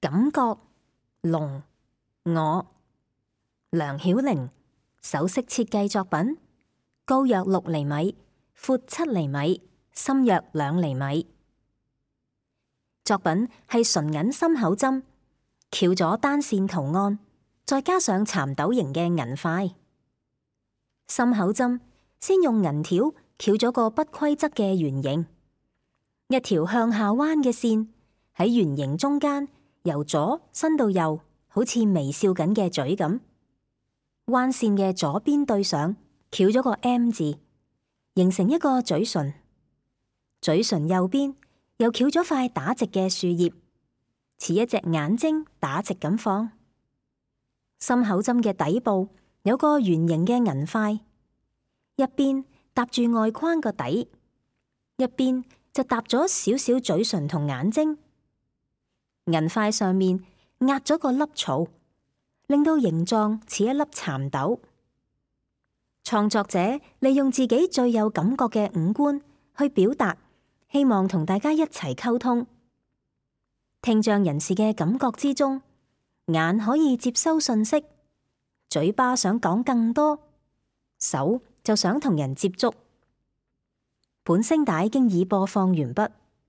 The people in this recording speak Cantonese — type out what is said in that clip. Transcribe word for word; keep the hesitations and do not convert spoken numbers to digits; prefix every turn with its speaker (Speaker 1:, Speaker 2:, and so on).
Speaker 1: 感覺龍我梁曉玲首飾設計作品，高約六厘米，闊七厘米，深約兩厘米。作品係純銀心口針，翹咗單線圖案，再加上蠶豆形嘅銀塊。心口針先用銀條翹咗個不規則嘅圓形，一條向下彎嘅線喺圓形中間，由左伸到右，好似微笑緊嘅嘴咁。彎線嘅左邊對上，翹咗個 M 字，形成一個嘴唇。嘴唇右邊又翹咗塊打直嘅樹葉，似一隻眼睛打直咁放。心口針嘅底部有個圓形嘅銀塊，一邊搭住外框個底，一邊就搭咗少少嘴唇同眼睛。銀塊上面壓咗個粒草，令到形狀似一粒蠶豆。創作者利用自己最有感覺嘅五官去表達，希望同大家一齊溝通。聽障人士嘅感覺之中，眼可以接收信息，嘴巴想講更多，手就想同人接觸。本聲帶經已播放完畢。